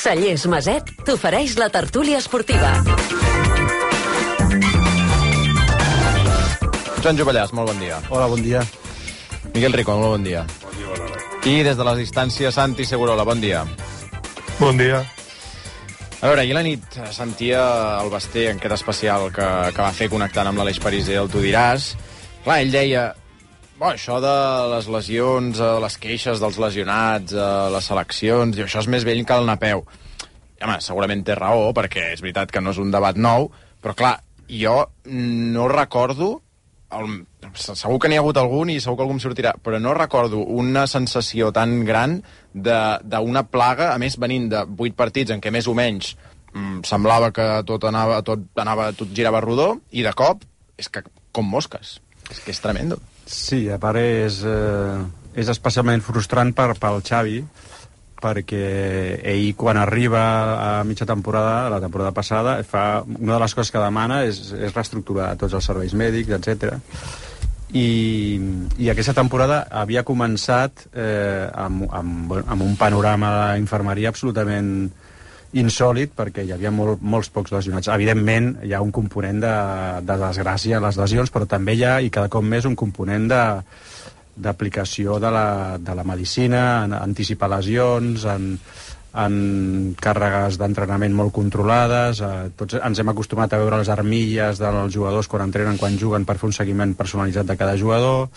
Cellers Maset t'ofereix la tertúlia esportiva. Joan Jovellàs, molt bon dia. Hola, bon dia. Miguel Rico, molt bon dia. Bon dia, bona hora. I des de les distàncies, Santi Segurola, bon dia. Bon dia. A veure, ahir la nit sentia el Basté en aquest especial que va fer connectant amb l'Aleix Pariser, el Tu diràs. Clar, ell deia, això de les lesions, les queixes dels lesionats, les seleccions, i això és més vell que el Napeu. I, home, segurament té raó, perquè és veritat que no és un debat nou, però clar, jo no recordo, segur que n'hi ha hagut algun i segur que algú em sortirà, però no recordo una sensació tan gran d'una plaga, a més venint de 8 partits en què més o menys semblava que tot girava rodó, i de cop és que com mosques. És que és tremendo. Sí, a part és especialment frustrant pel Xavi, perquè ell quan arriba a mitja temporada, la temporada passada, una de les coses que demana és reestructurar tots els serveis mèdics, etc. I aquesta temporada havia començat amb un panorama d'infermeria absolutament insòlid, perquè hi havia molts pocs lesionats. Evidentment hi ha un component de desgràcia a les lesions, però també hi ha, i cada cop més, un component d'aplicació de la medicina, en anticipar lesions, en càrregues d'entrenament molt controlades. Tots ens hem acostumat a veure les armilles dels jugadors quan entrenen, quan juguen, per fer un seguiment personalitzat de cada jugador.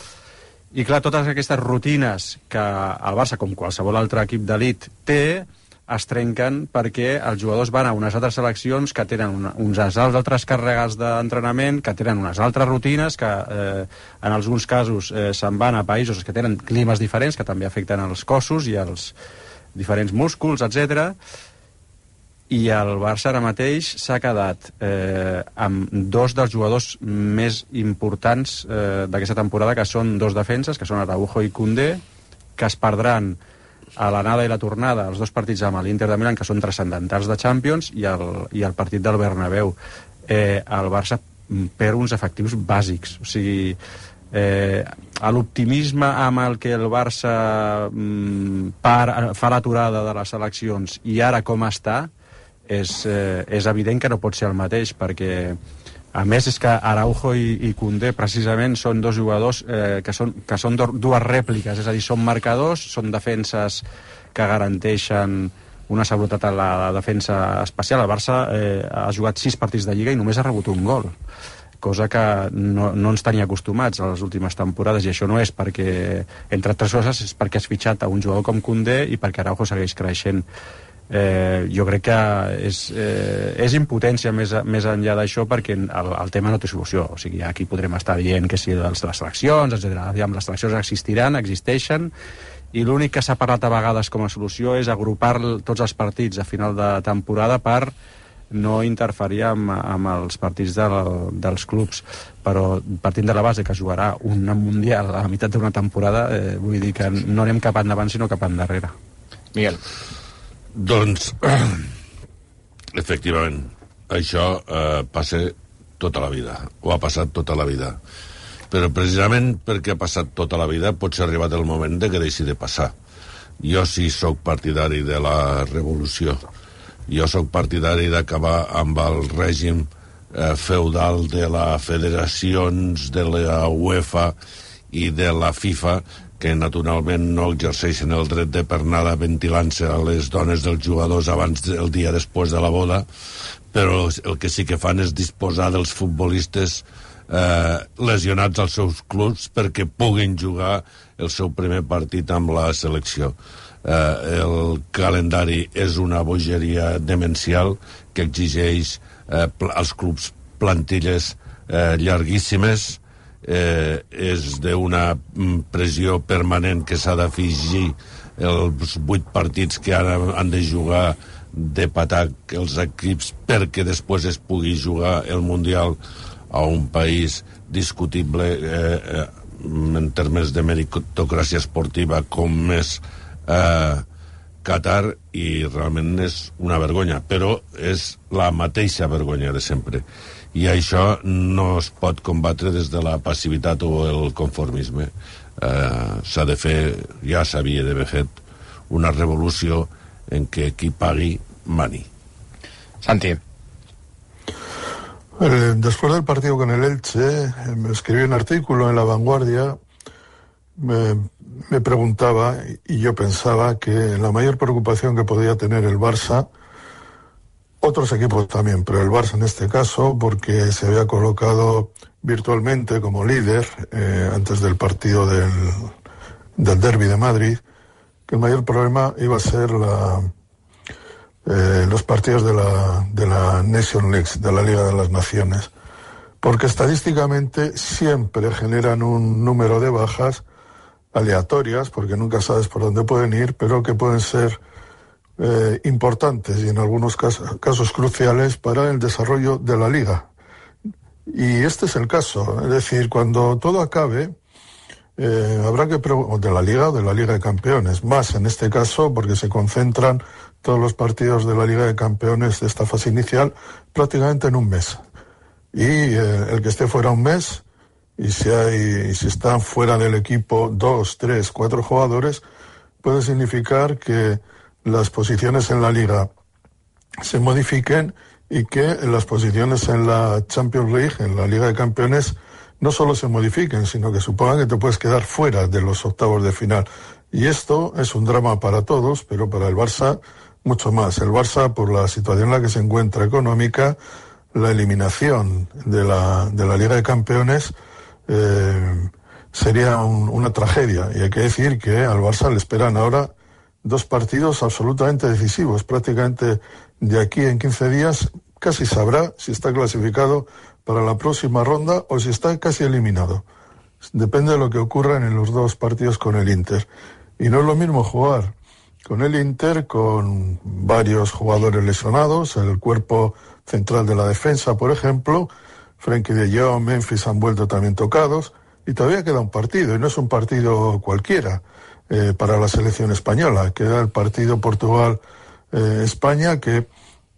I clar, totes aquestes rutines que el Barça, com qualsevol altre equip d'elit, té, es trenquen perquè els jugadors van a unes altres seleccions que tenen unes altres càrregues d'entrenament, que tenen unes altres rutines, que en alguns casos se'n van a països que tenen climes diferents, que també afecten els cossos i els diferents músculs, etc. I el Barça ara mateix s'ha quedat amb dos dels jugadors més importants d'aquesta temporada, que són dos defenses, que són Araujo i Koundé, que es perdran a l'anada i la tornada, els dos partits amb l'Inter de Milán, que són transcendentals de Champions, i el partit del Bernabéu. El Barça perd uns efectius bàsics. O sigui, l'optimisme amb el que el Barça fa l'aturada de les seleccions i ara com està, és evident que no pot ser el mateix, perquè a més és que Araujo i Koundé precisament són dos jugadors que són dues rèpliques, és a dir, són marcadors, són defenses que garanteixen una seguretat a la defensa especial. El Barça ha jugat 6 partits de Lliga i només ha rebut un gol, cosa que no ens tenia acostumats a les últimes temporades, i això no és perquè, entre altres coses, és perquè has fitxat a un jugador com Koundé i perquè Araujo segueix creixent. Jo crec que és impotència més enllà d'això, perquè el tema no té solució. O sigui, aquí podrem estar dient que si les seleccions, etc. Les seleccions existeixen, i l'únic que s'ha parlat a vegades com a solució és agrupar tots els partits a final de temporada per no interferir amb els partits dels clubs. Però partint de la base que jugarà un Mundial a la meitat d'una temporada, vull dir que no anem cap endavant sinó cap endarrere. Miguel. Doncs, efectivament, això passa tota la vida, o ha passat tota la vida. Però precisament perquè ha passat tota la vida potser ha arribat el moment de que deixi de passar. Jo sí sóc partidari de la revolució. Jo sóc partidari d'acabar amb el règim feudal de les federacions, de la UEFA i de la FIFA, que naturalment no exerceixen el dret de pernada ventilant-se a les dones dels jugadors el dia després de la boda, però el que sí que fan és disposar dels futbolistes lesionats als seus clubs perquè puguin jugar el seu primer partit amb la selecció. El calendari és una bogeria demencial que exigeix als clubs plantilles llarguíssimes, és d'una pressió permanent que s'ha d'afegir els 8 partits que ara han de jugar de patac els equips perquè després es pugui jugar el Mundial a un país discutible en termes de meritocràcia esportiva com és Qatar, i realment és una vergonya, però és la mateixa vergonya de sempre. I això no es pot combatre des de la passivitat o el conformisme. Ja s'havia d'haver fet una revolució en què qui pagui mani. Santi. Después del partido con el Elche, me escribí un artículo en La Vanguardia. Me preguntaba, y yo pensaba, que la mayor preocupación que podía tener el Barça, otros equipos también, pero el Barça en este caso, porque se había colocado virtualmente como líder antes del partido del Derbi de Madrid, que el mayor problema iba a ser los partidos de la Nation League, de la Liga de las Naciones, porque estadísticamente siempre generan un número de bajas aleatorias, porque nunca sabes por dónde pueden ir, pero que pueden ser importantes y en algunos casos cruciales para el desarrollo de la Liga. Y este es el caso, es decir, cuando todo acabe, habrá que de la Liga o de la Liga de Campeones, más en este caso porque se concentran todos los partidos de la Liga de Campeones de esta fase inicial prácticamente en un mes. Y el que esté fuera un mes, y si están fuera del equipo 2, 3, 4 jugadores, puede significar que las posiciones en la Liga se modifiquen y que las posiciones en la Champions League, en la Liga de Campeones, no solo se modifiquen, sino que supongan que te puedes quedar fuera de los octavos de final. Y esto es un drama para todos, pero para el Barça mucho más. El Barça, por la situación en la que se encuentra económica, la eliminación de la Liga de Campeones sería una tragedia. Y hay que decir que al Barça le esperan ahora 2 partidos absolutamente decisivos. Prácticamente de aquí en 15 días casi sabrá si está clasificado para la próxima ronda o si está casi eliminado. Depende de lo que ocurra en los 2 partidos con el Inter. Y no es lo mismo jugar con el Inter, con varios jugadores lesionados, el cuerpo central de la defensa, por ejemplo, Frenkie de Jong, Memphis han vuelto también tocados, y todavía queda un partido, y no es un partido cualquiera para la selección española. Queda el partido Portugal-España, que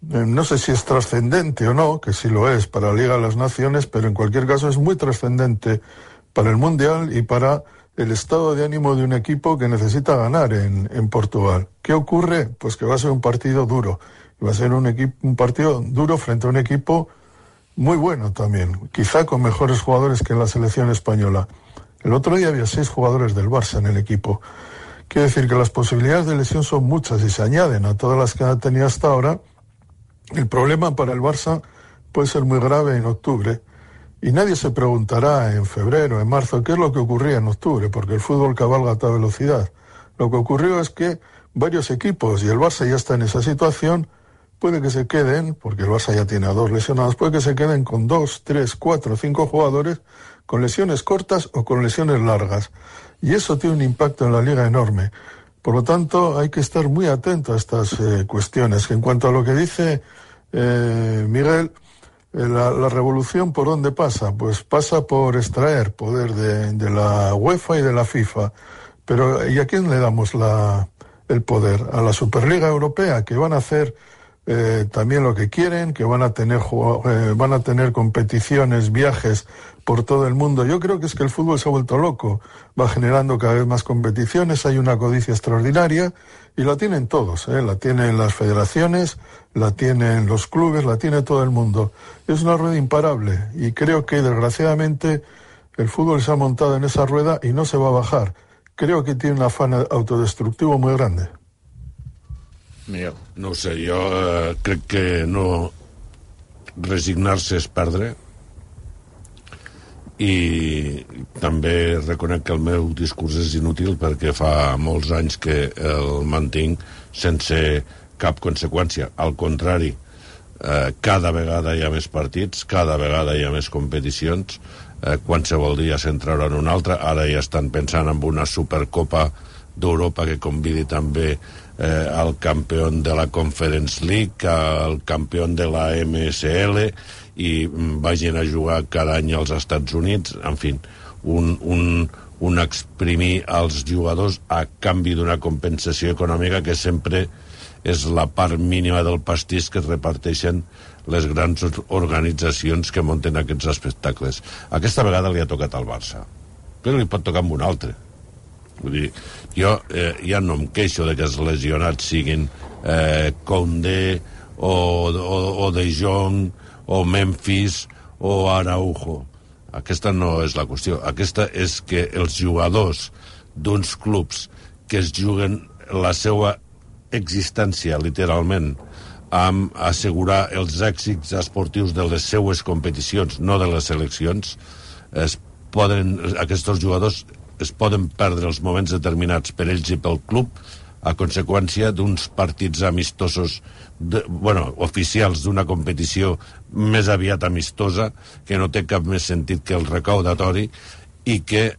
no sé si es trascendente o no, que sí lo es para la Liga de las Naciones, pero en cualquier caso es muy trascendente para el Mundial y para el estado de ánimo de un equipo que necesita ganar en Portugal. ¿Qué ocurre? Pues que va a ser un partido duro. Va a ser un partido duro frente a un equipo muy bueno también, quizá con mejores jugadores que en la selección española. El otro día había 6 jugadores del Barça en el equipo. Quiere decir que las posibilidades de lesión son muchas y se añaden a todas las que ha tenido hasta ahora. El problema para el Barça puede ser muy grave en octubre. Y nadie se preguntará en febrero, en marzo, qué es lo que ocurría en octubre, porque el fútbol cabalga a toda velocidad. Lo que ocurrió es que varios equipos, y el Barça ya está en esa situación, puede que se queden, porque el Barça ya tiene a 2 lesionados, puede que se queden con 2, 3, 4, 5 jugadores con lesiones cortas o con lesiones largas. Y eso tiene un impacto en la liga enorme. Por lo tanto, hay que estar muy atento a estas cuestiones. En cuanto a lo que dice Miguel, la revolución, ¿por dónde pasa? Pues pasa por extraer poder de la UEFA y de la FIFA. Pero ¿y a quién le damos el poder? A la Superliga Europea, que van a hacer también lo que quieren, que van a tener competiciones, viajes por todo el mundo. Yo creo que es que el fútbol se ha vuelto loco, va generando cada vez más competiciones, hay una codicia extraordinaria y la tienen todos, la tienen las federaciones, la tienen los clubes, la tiene todo el mundo. Es una rueda imparable y creo que desgraciadamente el fútbol se ha montado en esa rueda y no se va a bajar. Creo que tiene un afán autodestructivo muy grande. Miguel. No ho sé, jo crec que no resignar-se és perdre, i també reconec que el meu discurs és inútil perquè fa molts anys que el mantinc sense cap conseqüència. Al contrari, cada vegada hi ha més partits, cada vegada hi ha més competicions, qualsevol dia se'n trauran un altre. Ara ja estan pensant en una Supercopa d'Europa que convidi també al campió de la Conference League, al campió de la MSL, i vagin a jugar cada any als Estats Units. En fi, un exprimir els jugadors a canvi d'una compensació econòmica que sempre és la part mínima del pastís que es reparteixen les grans organitzacions que munten aquests espectacles. Aquesta vegada li ha tocat al Barça, però li pot tocar amb un altre. Vull dir, jo ja no em queixo de que els lesionats siguin Koundé o De Jong o Memphis o Araujo. Aquesta no és la qüestió. Aquesta és que els jugadors d'uns clubs que es juguen la seva existència, literalment, amb assegurar els èxits esportius de les seues competicions, no de les seleccions, aquests jugadors es poden perdre els moments determinats per ells i pel club a conseqüència d'uns partits amistosos, oficials d'una competició més aviat amistosa, que no té cap més sentit que el recaudatori, i que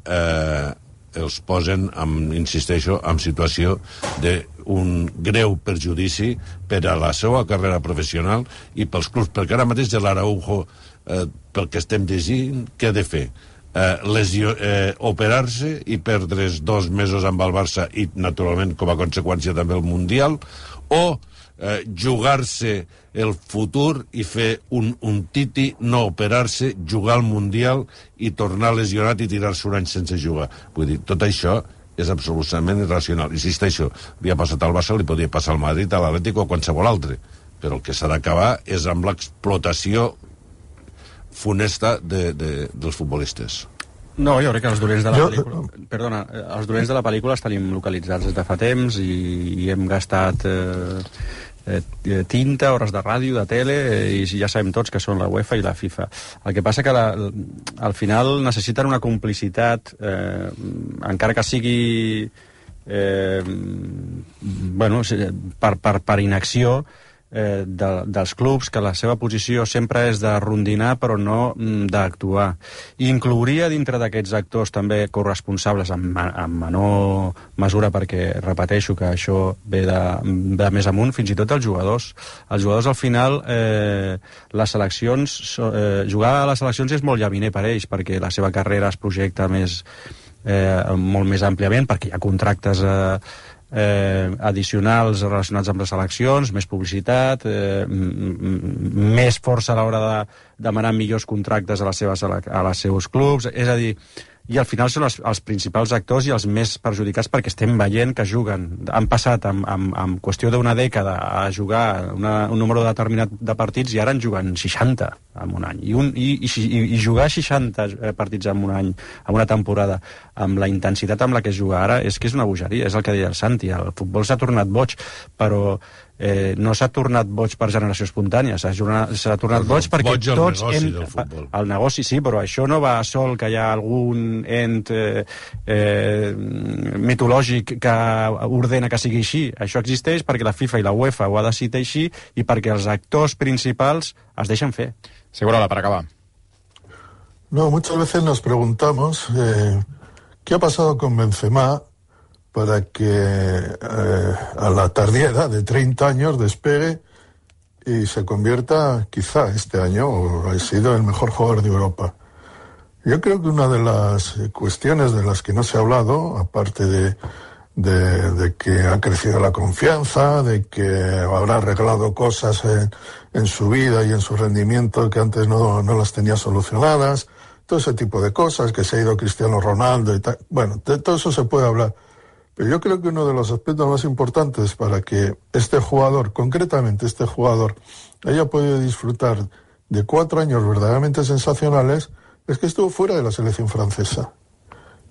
els posen, insisteixo, en situació d'un greu perjudici per a la seva carrera professional i pels clubs, perquè ara mateix de l'Araujo, pel que estem llegint, què ha de fer? Operar-se i perdre's 2 mesos amb el Barça i, naturalment, com a conseqüència també el Mundial, o jugar-se el futur i fer un titi, no operar-se, jugar al Mundial i tornar lesionat i tirar-se un any sense jugar. Vull dir, tot això és absolutament irracional. Insisteixo, li ha passat al Barça, li podria passar al Madrid, a l'Atlètic o a qualsevol altre, però el que s'ha d'acabar és amb l'explotació funesta dels futbolistes. No, jo crec que els dolents de la pel·lícula... Perdona, els dolents de la pel·lícula els tenim localitzats des de fa temps i hem gastat tinta, hores de ràdio, de tele, i ja sabem tots que són la UEFA i la FIFA. El que passa que al final necessiten una complicitat, encara que sigui per inacció, dels clubs, que la seva posició sempre és de rondinar però no d'actuar. I inclouria dintre d'aquests actors també corresponsables en menor mesura, perquè repeteixo que això ve de més amunt, fins i tot els jugadors. Els jugadors al final les seleccions, jugar a les seleccions és molt llaminer per ells, perquè la seva carrera es projecta molt més àmpliament, perquè hi ha contractes addicionals relacionats amb les eleccions, més publicitat, més força a l'hora de demanar millors contractes a les seus clubs, és a dir, i al final són els principals actors i els més perjudicats, perquè estem veient que juguen, han passat en qüestió d'una dècada a jugar un número determinat de partits i ara en juguen 60 en un any, i jugar 60 partits en un any, en una temporada, amb la intensitat amb la que es juga ara, és que és una bogeria, és el que deia el Santi, el futbol s'ha tornat boig, però no s'ha tornat boig per generació espontània, s'ha tornat boig perquè tots hem... El negoci sí, però això no va sol que hi ha algun ent mitològic que ordena que sigui així. Això existeix perquè la FIFA i la UEFA ho ha decidit així i perquè els actors principals es deixen fer. Segurola, para acabar. No, muchas veces nos preguntamos ¿qué ha pasado con Benzema para que a la tardía de 30 años despegue y se convierta, quizá este año, o ha sido el mejor jugador de Europa? Yo creo que una de las cuestiones de las que no se ha hablado, aparte de que ha crecido la confianza, de que habrá arreglado cosas en su vida y en su rendimiento que antes no las tenía solucionadas, todo ese tipo de cosas, que se ha ido Cristiano Ronaldo y tal. Bueno, de todo eso se puede hablar. Pero yo creo que uno de los aspectos más importantes para que este jugador, concretamente este jugador, haya podido disfrutar de 4 años verdaderamente sensacionales, es que estuvo fuera de la selección francesa.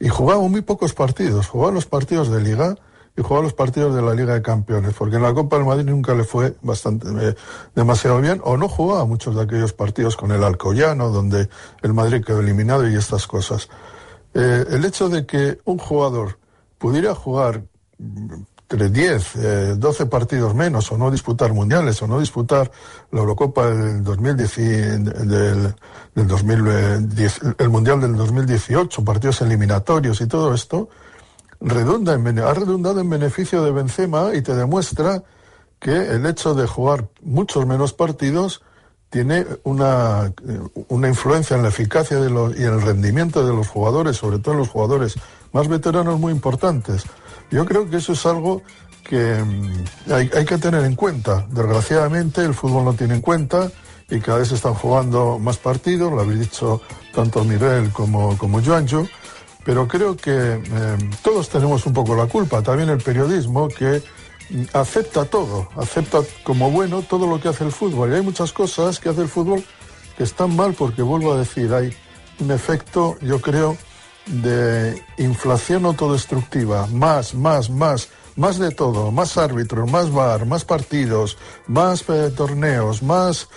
Y jugaba muy pocos partidos. Jugaba los partidos de Liga y jugaba los partidos de la Liga de Campeones, porque en la Copa del Madrid nunca le fue demasiado bien, o no jugaba muchos de aquellos partidos con el Alcoyano, donde el Madrid quedó eliminado y estas cosas. El hecho de que un jugador pudiera jugar entre 10, 12 partidos menos, o no disputar mundiales, o no disputar la Eurocopa del 2010, el Mundial del 2018, partidos eliminatorios y todo esto, ha redundado en beneficio de Benzema y te demuestra que el hecho de jugar muchos menos partidos tiene una influencia en la eficacia y en el rendimiento de los jugadores, sobre todo los jugadores más veteranos, muy importantes. Yo creo que eso es algo que hay que tener en cuenta. Desgraciadamente el fútbol no tiene en cuenta y cada vez se están jugando más partidos, lo habéis dicho tanto Miguel como Juanjo, pero creo que todos tenemos un poco la culpa, también el periodismo, que acepta todo, acepta como bueno todo lo que hace el fútbol. Y hay muchas cosas que hace el fútbol que están mal porque, vuelvo a decir, hay un efecto, yo creo, de inflación autodestructiva, más de todo, más árbitros, más VAR, más partidos, más torneos, más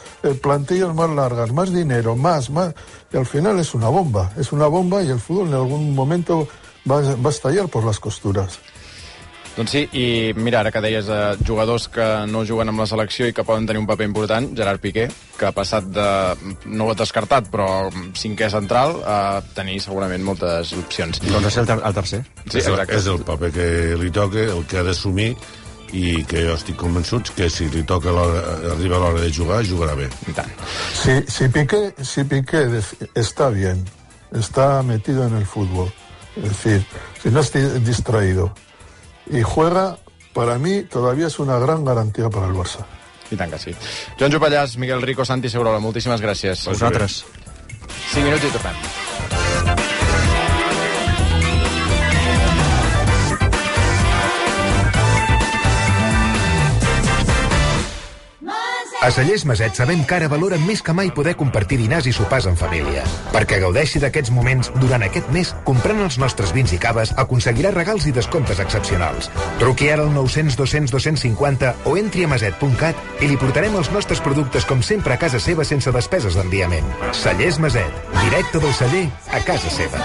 plantillas más largas, más dinero, más, y al final es una bomba y el fútbol en algún momento va a estallar por las costuras. Doncs sí, i mira, ara que deies jugadors que no juguen amb la selecció i que poden tenir un paper important, Gerard Piqué, que ha passat de, no ho ha descartat, però 5è central, a tenir segurament moltes opcions. Doncs és el tercer. Sí, exacte. És el paper que li toca, el que ha d'assumir, i que jo estic convençut que si li toca arriba l'hora de jugar, jugarà bé. I tant. Si Piqué está bien, está metido en el fútbol, es decir, si no está distraído y juega, para mí todavía es una gran garantía para el Barça. I tant que sí. Joan Jopallàs, Miguel Rico, Santi Segurola, moltíssimes gràcies. Vosaltres. 5 minuts i tornem. A Cellers Maset sabem que ara valoren més que mai poder compartir dinars i sopars en família. Perquè gaudeixi d'aquests moments, durant aquest mes, comprant els nostres vins i caves, aconseguirà regals i descomptes excepcionals. Truqui ara al 900 200 250 o entri a maset.cat i li portarem els nostres productes com sempre a casa seva sense despeses d'enviament. Cellers Maset, directe del celler a casa seva.